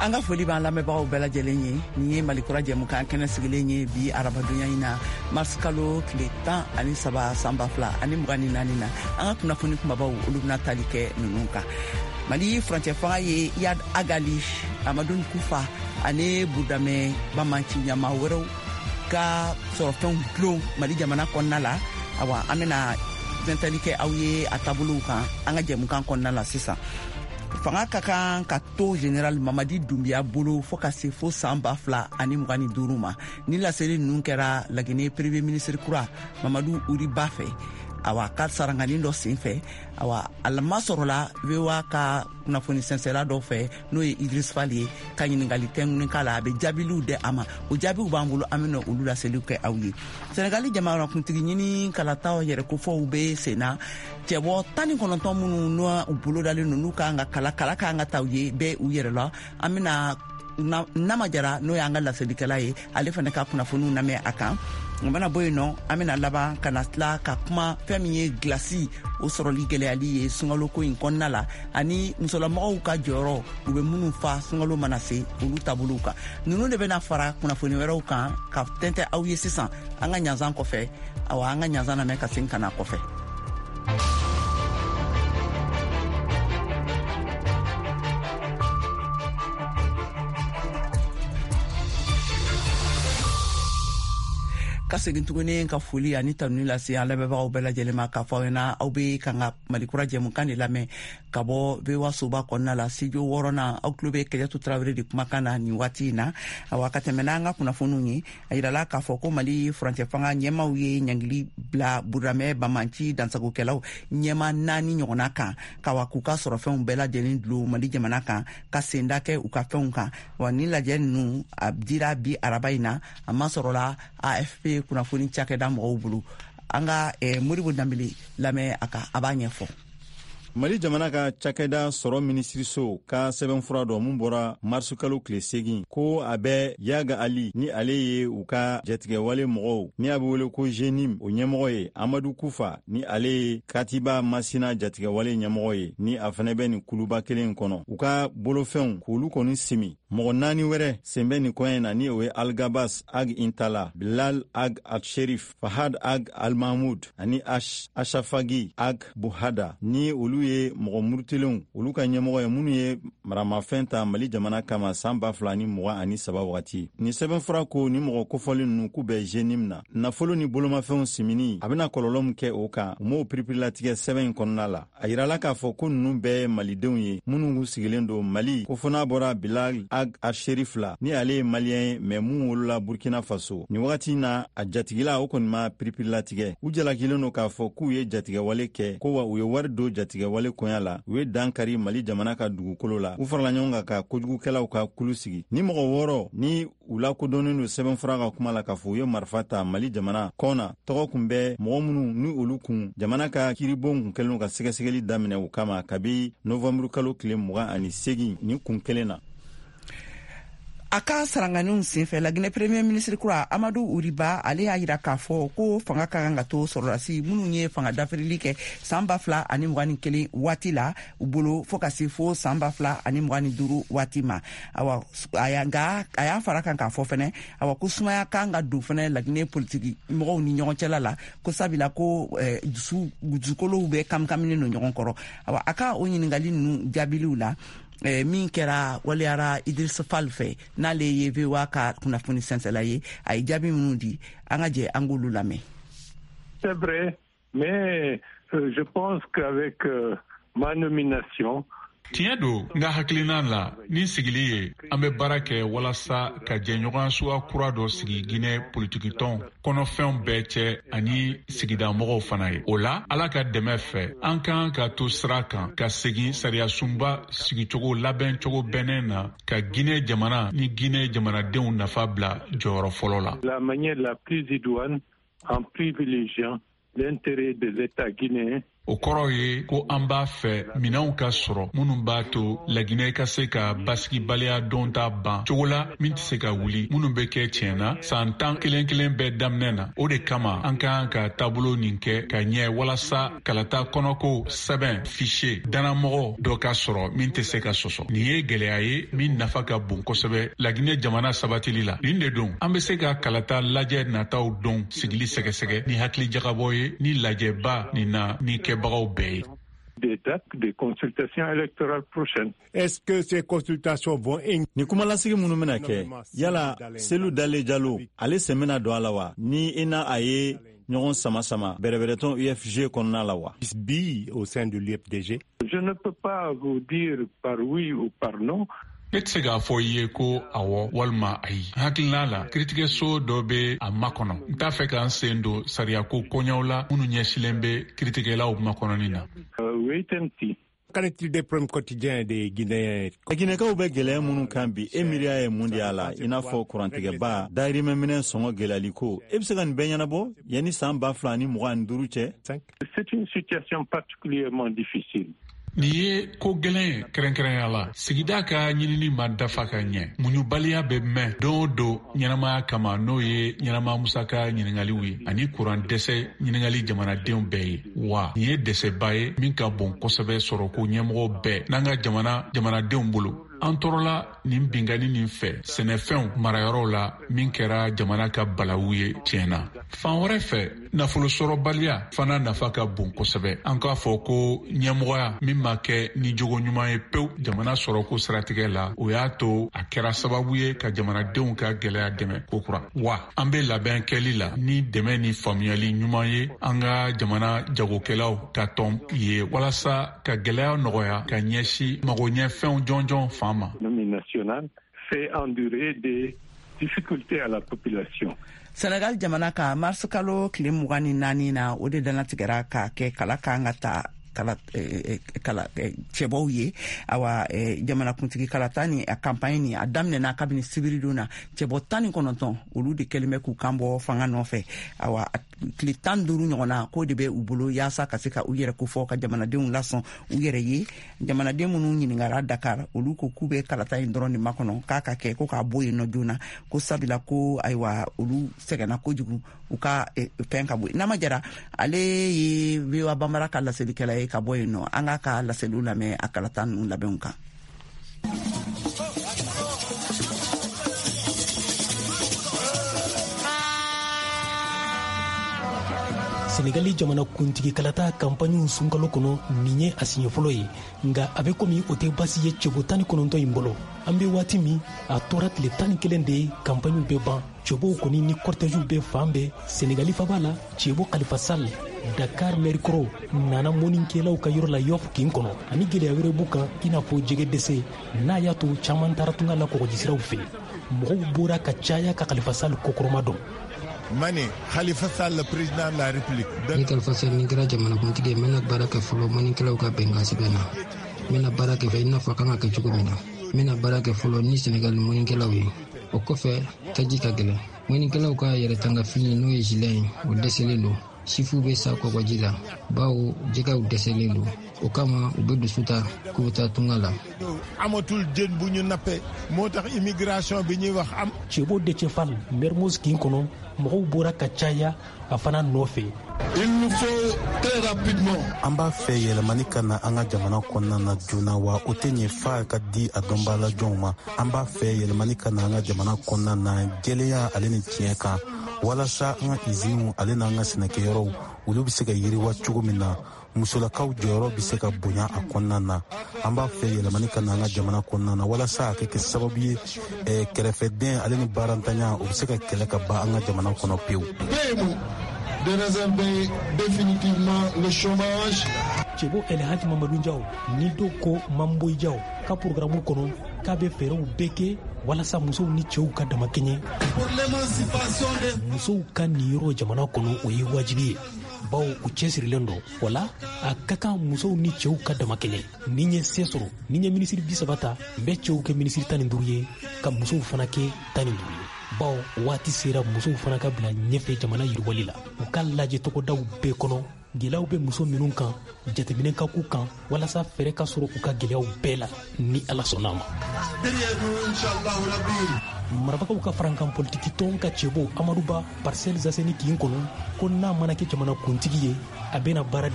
An ka foli b'an lamɛnbagaw bɛɛ lajɛlen ye. Nin ye Malikura jɛmukan kɛnɛ sigilen ye bi arabadonya in na, marisikalo tile 13 san 2024 na. An ka kunnafoni kumabaw, olu bɛna tali kɛ ninnu kan: Mali furancɛ fanga ye Iyad Ag Ghali, Amadou Kufa ani Burudamɛ banbaanci ɲɛmaa wɛrɛw ka sɔrɔfɛnw dulon Mali jamana kɔnɔna la. Awa, an bɛna tɛntɛli kɛ aw ye a taabolow kan an ka jɛmukan kɔnɔna la sisan. Fanga ka kan ka to General Mamadi Dumbuya bolo fɔɔ ka se fo san 2025 ma. Ni laseli ninnu kɛra Lagine Premier ministre kura Mamadu Uri Ba fɛ, awa, ka sarangani dɔ sen fɛ. Awa, a masɔrɔla VOA ka kunnafoni sɛnsɛla dɔ fɛ, n'o ye Idris Fall ye, ka ɲiningali tɛnkunnen k'a la. A bɛ jaabiliw di a ma, o jaabiw b'an bolo, an bɛna olu laseliw kɛ aw ye. Senegali jamanakuntigi ɲini kalataw yɛrɛ kofɔw bɛ sen na. Cɛbɔ 19 minnu n'u bolodalen don, n'u kan ka kala kala kan ka ta u ye bɛɛ u yɛrɛ la. An bɛna Nama Jara, n'o y'an ka laselikɛla ye, ale fana ka kunnafoniw lamɛn a kan. O mana bɔ yen nɔ, an bɛna laban ka na tila ka kuma fɛn min ye gilasi o sɔrɔli gɛlɛyali ye sunkalo ko in kɔnɔna la, ani musolamɔgɔw ka jɔyɔrɔ u bɛ minnu fa sunkalo mana se, olu taabolow kan. Ninnu de bɛna fara kunnafoni wɛrɛw kan ka tɛntɛ aw ye sisan an ka ɲanzan kɔfɛ. Awa, an ka ɲanzan lamɛn ka segin ka na kɔfɛ. Ka segin tuguni ka foli ani tanuni lase an lamɛnbagaw bɛɛ lajɛlen ma, k'a fɔ aw ɲɛna aw be kan ka Malikura jɛmukan de lamɛn ka bɔ VOA soba kɔnɔna la, studio wɔɔrɔnan. Aw tulo bɛ Kajatu Tarawele de kumakan na nin waati in na. Awa, ka tɛmɛ n'an ka kunnafoniw ye, a yirala k'a fɔ ko Mali furancɛ fanga ɲɛmaw ye ɲangili bila Burudamɛ banbaanci dansagokɛlaw ɲɛma naani ɲɔgɔnna kan, kawa k'u ka sɔrɔfɛnw bɛɛ lajɛlen dulon Mali jamana kan, ka senda kɛ u ka fɛnw kan. Wa ni lajɛ ninnu a dira bi araba in na, a masɔrɔla AFP kunnafoni cakɛda mɔgɔw bolo. An ka Modibo Danbele lamɛn a kan, a b'a ɲɛfɔ. Mali jamana ka cakɛda sɔrɔ minisiriso ka sɛbɛnfura dɔ mun bɔra marisukalo tile 8, ko a bɛ Iyad Ag Ghali, ni ale ye u ka jatigɛwale mɔgɔw ni a bɛ wele ko JNIM o ɲɛmɔgɔ ye, Amadu Kufa, ni ale ye Katiba Masina jatigɛwale ɲɛmɔgɔ ye, ni a fɛnɛ bɛ nin kuluba kelen kɔnɔ, u ka bolofɛnw k'olu kɔni simi. Mɔgɔ naani wɛrɛ sen bɛ nin koɲɛ na, ni o ye Algabas Ag Intala, Bilal Ag Alsherif, Fahad Ag Almahmud ani Ashafagi Ag Buhada, ni olu ye mɔgɔ murutilenw olu ka ɲɛmɔgɔ ye, minnu ye maramafɛn ta Mali jamana kama san 2023 wagati. Nin sɛbɛnfura ko ni mɔgɔ kofɔlen ninnu k'u bɛ JNIM na. Nafolo ni bolomafɛnw simini, a bɛna kɔlɔlɔ min kɛ o kan, u m'o piripirilatigɛ sɛbɛn in kɔnɔna la. A yirala k'a fɔ ko ninnu bɛɛ ye malidenw ye minnu kun sigilen don Mali, ko fo n'a bɔra Bilal Ag Asherif la, ni ale ye Maliyɛn ye, mɛ mun wolola Burkina Faso. Nin wagati na, a jatigila o kɔni ma piripirilatigɛ. U jalakilen don k'a fɔ k'u ye jatigɛwale kɛ, ko wa u ye wari don jatigɛwale koɲa la, u ye dan kari Mali jamana ka dugukolo la, u farala ɲɔgɔn kan ka kojugukɛlaw ka kulu sigi. Ni mɔgɔ wɔɔrɔ ni u lakodɔnnen don sɛbɛnfura ka kuma la k'a fɔ u ye marifa ta Mali jamana kɔna, tɔgɔ kun bɛ mɔgɔ minnu ni olu kun jamana ka kiribon kun kɛlen ka sɛgɛsɛgɛli daminɛ u kama kabi novanburu kalo tile 28 nin kun kelen na. A ka saranganiw senfɛ, Laginɛ Premier ministre kura Amadu Uriba, ale y'a yira k'a fɔ ko fanga ka kan ka to sɔrɔdasi minnu ye fanga dafirili kɛ san 2021 waati la u bolo, fɔɔ ka se fo san 2025 waati ma. Awa, nka a y'a fara kan k'a fɔ fɛnɛ, awa, ko sumaya kan ka don fɛnɛ Laginɛ politiki mɔgɔw ni ɲɔgɔn cɛla la, ko sabila ko dusu dusukolow bɛ kamikaminen don ɲɔgɔn kɔrɔ. Awa, a ka o ɲiningali ninnu jaabiliw la, min kɛra waleyara Idris Fall fɛ, n'ale ye VOA ka kunnafoni sɛnsɛla ye, a ye jaabi minnu di, an ka jɛ an k'olu lamɛn. C'est vrai, mais je pense qu'avec ma nomination, Tiɲɛ don, n ka hakilina la, ni sigili ye, an bɛ baara kɛ walasa ka jɛɲɔgɔnya suguya kura dɔ sigi Ginɛ politikitɔn kɔnɔfɛnw bɛɛ cɛ ani sigidamɔgɔw fana ye. O la, Ala ka dɛmɛ fɛ, an kan ka to sira kan ka segin sariyasunba sigicogo labɛncogo bɛnnen na, ka Ginɛ jamana ni Ginɛ jamanadenw nafa bila jɔyɔrɔ fɔlɔ la. La manière la plus idoine, en privilégiant l'intérêt de l'État guinéen. O kɔrɔ ye ko an b'a fɛ minɛnw ka sɔrɔ minnu b'a to Laginɛ ka se ka basigibaliya donta ban cogo la min tɛ se ka wuli, minnu bɛ kɛ tiɲɛ na san 10 kelen kelen bɛɛ daminɛ na. O de kama an ka kan ka taabolo nin kɛ ka ɲɛ walasa kalata kɔnɔko sɛbɛn fichier dannamɔgɔ dɔ ka sɔrɔ min tɛ se ka sɔsɔ. Nin ye gɛlɛya ye min nafa ka bon kosɛbɛ Laginɛ jamana sabatili la. Nin de don an bɛ se ka kalata lajɛ nataw don sigili sɛgɛsɛgɛ ni hakilijagabɔ ye ni lajɛba nin na ni kɛbagaw bɛɛ ye. Des dates des consultations électorales prochaines. Est-ce que ces consultations vont... Ni kumalasigi minnu bɛna kɛ, yala Selu Dale Jalo ale sen bɛna don a la wa? Ni i n'a a ye ɲɔgɔn sama sama bɛrɛbɛrɛtɔn UFG kɔnɔna la wa? Bi au sein de l'UFDG. Je ne peux pas vous dire par oui ou par non. Ne tɛ se k'a fɔ i ye ko awɔ walima ayi. Hakilina la, kiritigɛso dɔ bɛ a makɔnɔ. N t'a fɛ k'an sen don sariyako koɲɛw la minnu ɲɛsilen bɛ kiritigɛlaw makɔnɔni na. Wait and see. Qu'en est-il des problèmes quotidiens des Guinéens? Guinékaw bɛ gɛlɛya minnu kan bi, e miiriya ye mun de y'a la? I n'a fɔ kurantigɛba, dahirimɛminɛ sɔngɔ gɛlɛyali ko, e bɛ se ka nin bɛɛ ɲɛnabɔ yanni san 2025 cɛ? C'est une situation particulièrement difficile. Nin ye ko gɛlɛn ye kɛrɛnkɛrɛnya la. Sigida ka ɲinini ma dafa ka ɲɛ. Muɲubaliya bɛ mɛn don o don ɲɛnamaya kama, n'o ye ɲɛnama musaka ɲiningaliw ye ani kuran dɛsɛ ɲiningali jamanadenw bɛɛ ye. Wa nin ye dɛsɛba ye min ka bon kosɛbɛ sɔrɔko ɲɛmɔgɔw bɛɛ n'an ka jamanadenw bolo. An tɔɔrɔla nin binkanni nin fɛ sɛnɛfɛnw marayɔrɔw la min kɛra jamana ka balawu ye tiɲɛ na. Fan wɛrɛ fɛ, nafolosɔrɔbaliya fana nafa ka bon kosɛbɛ. An k'a fɔ ko ɲɛmɔgɔya min ma kɛ ni jogo ɲuman ye pewu jamana sɔrɔko siratigɛ la, o y'a to a kɛra sababu ye ka jamanadenw ka gɛlɛya dɛmɛ kokura. Wa an bɛ labɛn kɛli la ni dɛmɛ ni faamuyali ɲuman ye an ka jamana jagokɛlaw ka tɔn ye walasa ka gɛlɛya nɔgɔya ka ɲɛsin magoɲɛfɛnw jɔnjɔn fan ma. Nationale fait endurer des difficultés à la population. Senegal jamana ka mars kalo tile 24 na, o de dannatigɛra ka kɛ kala kan ka ta kala cɛbɔw ye. Awa, jamanakuntigi kalata ni a campagne ni a daminɛna kabini sibiridon na. Cɛbɔ 19 olu de kɛlen bɛ k'u kan bɔ fanga nɔfɛ. Awa, tile 15 ɲɔgɔn na k'o de bɛ u bolo yaasa ka se ka u yɛrɛ kofɔ ka jamanadenw lasɔn u yɛrɛ ye. Jamanaden minnu ɲininkara Dakar, olu ko k'u bɛ kalata in dɔrɔn de makɔnɔ k'a ka kɛ ko k'a bɔ yen nɔ joona, ko sabula ko ayiwa olu sɛgɛnna kojugu, u ka fɛn ka bɔ. Nama Jara ale ye VOA Bambara ka laselikɛla ye ka bɔ yen nɔ. An k'a ka laseliw lamɛn a kalata ninnu labɛnw kan. Senegali jamana kuntigi kalata kanpaɲiw sunkalo kɔnɔ, nin ye a siɲɛ fɔlɔ ye, nka a bɛ komi o tɛ basi ye cɛbɔ 19 in bolo. An bɛ waati min, a tora tile 11 de ye kanpaɲiw bɛ ban. Cɛbɔw kɔni ni kɔrtɛziw bɛ fan bɛɛ Senegali faba la. Cɛbɔ Khalifa Sall, Dakar mɛri kɔrɔ, nana mɔnikɛlaw ka yɔrɔ la Yoff kin kɔnɔ, ani gɛlɛya wɛrɛ b'u kan i n'a fɔ jɛgɛ dɛsɛ n'a y'a to caman taara tunga la kɔgɔjisiraw fɛ. Mɔgɔw bɔra ka caya ka Khalifa Sall kɔkɔrɔma dɔn. Mani, Khalifa Sall, le président de la République. Ni Khalifa Sall ni kɛra jamanakuntigi ye, n bɛna baara kɛ fɔlɔ mɔnikɛlaw ka bɛnkan sɛbɛn na. N bɛna baara kɛ i n'a fɔ a kan ka kɛ cogo min na. N bɛna baara kɛ fɔlɔ ni Senegali mɔnikɛlaw ye. O kɔfɛ, taji ka gɛlɛn. Mɔnikɛlaw ka yɛrɛtanga fini n'o ye gilet ye, o dɛsɛlen don. Sifuw bɛ sa kɔgɔji la, bawo jɛgɛw dɛsɛlen don. O kama u bɛ dusu ta k'u bɛ taa tunga la. Amatul jën bu ñu nappee moo tax immigration bi ñuy wax am. Cɛbɔ Déthié Fall, Mermoz kin kɔnɔ, mɔgɔw bɔra ka caya a fana nɔfɛ. Il nous faut très rapidement. An b'a fɛ yɛlɛmani ka na an ka jamana kɔnɔna na joona, wa o tɛ ɲɛ f'a ka di a dɔnbaalajɔnw ma. An b'a fɛ yɛlɛmani ka na an ka jamana kɔnɔna na jɛlenya ale ni tiɲɛ kan, walasa an ka iziniw ale n'an ka sɛnɛkɛyɔrɔw olu bɛ se ka yiriwa cogo min na. Musolakaw jɔyɔrɔ bɛ se ka bonya a kɔnɔna na. An b'a fɛ yɛlɛmani ka na an ka jamana kɔnɔna na walasa a ka kɛ sababu ye kɛrɛfɛdɛn ale ni baarantanya o bɛ se ka kɛlɛ ka ban an ka jamana kɔnɔ pewu. De résorber définitivement le chômage. Cɛbɔ El Hadji Mamadou Diaw ni dɔw ko Mamboy Diaw ka programme kɔnɔ k'a bɛ fɛɛrɛw bɛɛ kɛ walasa musow ni cɛw ka damakɛɲɛ. Pour l'émancipation des musow ka niyɔrɔ jamana kɔnɔ, o ye wajibi ye, bawo u cɛsirilen don. O la a ka kan musow ni cɛw ka damakɛɲɛ. Ni n ye se sɔrɔ, ni n ye minisiri 30 ta, n bɛ cɛw kɛ minisiri 15 ye, ka musow fana kɛ 15 ye, bawo waati sera musow fana ka bila ɲɛfɛ jamana yiriwali la. U ka lajɛ tɔgɔdaw bɛɛ kɔnɔ Gɛlɛyaw bɛ muso minnu kan, jateminɛ ka k'u kan walasa fɛɛrɛ ka sɔrɔ u ka gɛlɛyaw bɛɛ la, ni Ala sɔnna a ma. Marabagaw ka farankan politiki tɔn ka cɛbɔ Amadu Ba, Parcelles Assainies kin kɔnɔ, ko n'a mana kɛ jamana kuntigi ye, a bɛna baara di.